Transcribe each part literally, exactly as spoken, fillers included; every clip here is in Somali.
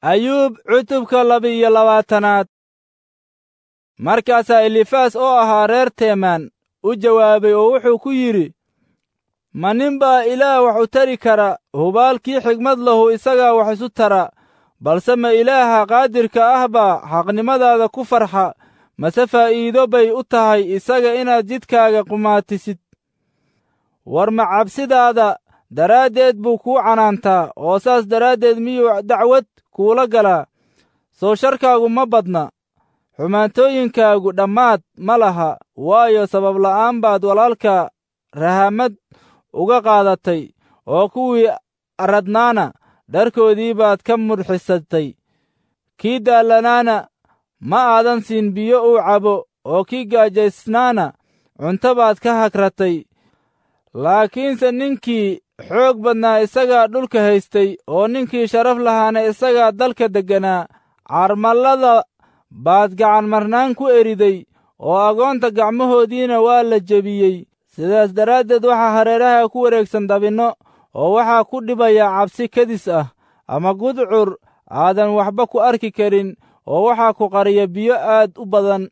Ayuub cutubka laba-iyo labaatanaad. Markaasaa Elifaas oo ahaa reer Teemaan u jawaabay oo wuxuu ku yidhi, ma nin baa Ilaah wax u tari kara? Hubaalkii xigmad lahu isagaa wax isu tara. Balse ma Ilaaha qaadirka ah baa xaqnimadaada ku farxa? Mase faa'iido bay u tahay isaga inaad jidkaaga qumaatisid? War ma cabsidaada daraaddeed buu kuu canaantaa, oo saas daraaddeed miyuu dacwad kuula galaa? Soo sharkaagu ma badna, xumaantooyinkaagu dhammaad ma laha. Waayo, sabab la'aan baad walaalka rahamad uga qaadatay, oo kuwii arradnaana dharkoodii baad ka mudxisatay. Kii daallanaana ma aadan siin biyo uu cabo, oo kii gaajaysnaana cunto baad ka hagratay. Laakiinse ninkii xoog badnaa isagaa dhulka haystay, oo ninkii sharaf lahaana isagaa dalka degganaa. Carmallada baad gacan marnaan ku eriday, oo agoonta gacmahoodiina waa la jebiyey. Sidaas daraaddeed waxaa hareeraha ku wareegsan dabinno, oo waxaa ku dhibaya cabsi kedis ah, ama gudcur aadan waxba ku arki karin, oo waxaa ku qariya biyo aad u badan.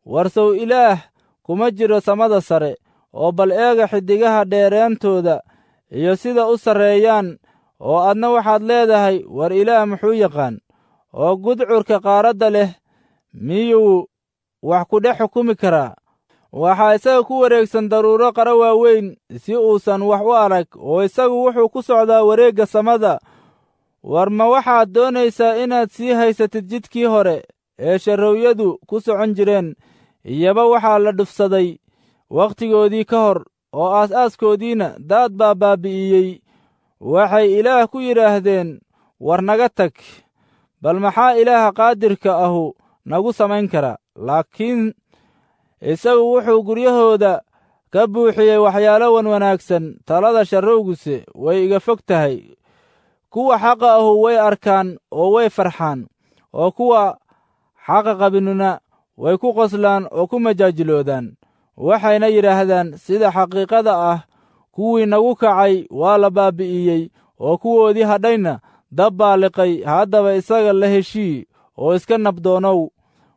Warsow Ilaah kuma jiro samada sare, oo bal eega xiddigaha dheeraantooda iyo sida u sarreeyaan, oo adna waxaad leedahay, war Ilaah muxuu yaqaan? Oo gudcurka qaaradda leh miyuu wax ku dhex xukumi karaa? Waxaa isaga ku wareegsan daruuro qara waaweyn si uusan wax u arag, oo isagu wuxuu ku socdaa wareegga samada. War ma waxaad doonaysaa inaad sii haysatid jidkii hore ee sharrowyadu ku socon jireen? Iyaba waxaa la dhufsaday wakhtigoodii ka hor, oo aas-aaskoodiina daad baa baabbi'iyey. Waxay Ilaah ku yidhaahdeen, war naga tag! Bal maxaa Ilaaha qaadirka ahu nagu samayn karaa? Laakiin isagu wuxuu guryahooda ka buuxiyey waxyaalo wan wanaagsan. Talada sharrowguse way iga fog tahay. Kuwa xaqa ahu way arkaan oo way farxaan, oo kuwa xaqa qabinuna way ku qoslaan oo ku majaajiloodaan. Waxayna yidhaahdaan, sida xaqiiqada ah kuwii nagu kacay waa la baabbi'iyey, oo kuwoodii hadhayna dab baa liqay. Haddaba isaga la heshii oo iska nabdoonow,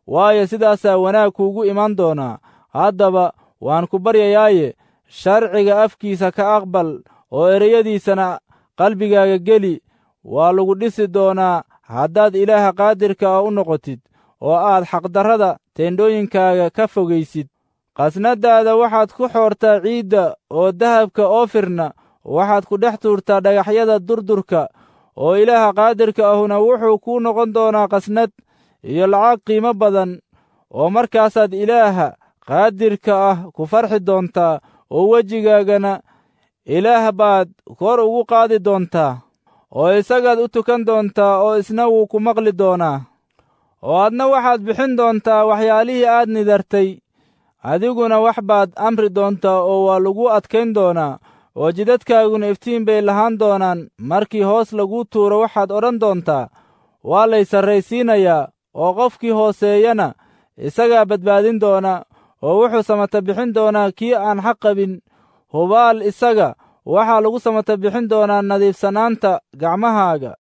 waayo, sidaasaa wanaag kuugu iman doonaa. Haddaba waan ku baryayaaye, sharciga afkiisa ka aqbal, oo ereyadiisana qalbigaaga geli. Waa lagu dhisi doonaa haddaad Ilaaha qaadirka ah u noqotid, oo aad xaqdarrada teendhooyinkaaga ka fogaysid. Qasnadaada waxaad ku xoortaa ciidda, oo dahabka oofirna waxaad ku dhex tuurtaa dhagaxyada durdurka, oo Ilaaha qaadirka ahuna wuxuu kuu noqon doonaa qasnad iyo lacag qiimo badan, oo markaasaad Ilaaha qaadirka ah ku farxi doontaa, oo wejigaagana Ilaah baad kor ugu qaadi doontaa, oo isagaad u tukan doontaa, oo isna wuu ku maqli doonaa. Oo adna waxaad bixin doontaa waxyaalihii aad nidartay, adiguna wax baad amri doontaa, oo waa lagu adkayn doonaa, oo jidadkaaguna iftiin bay lahaan doonaan. Markii hoos laguu tuuro waxaad odhan doontaa, waa lay sarraysiinayaa, oo qofkii hooseeyana isagaa badbaadin doona, oo wuxuu samata bixin doonaa kii aan xaq qabin. Hubaal isaga waxaa lagu samata bixin doonaa nadiifsanaanta gacmahaaga.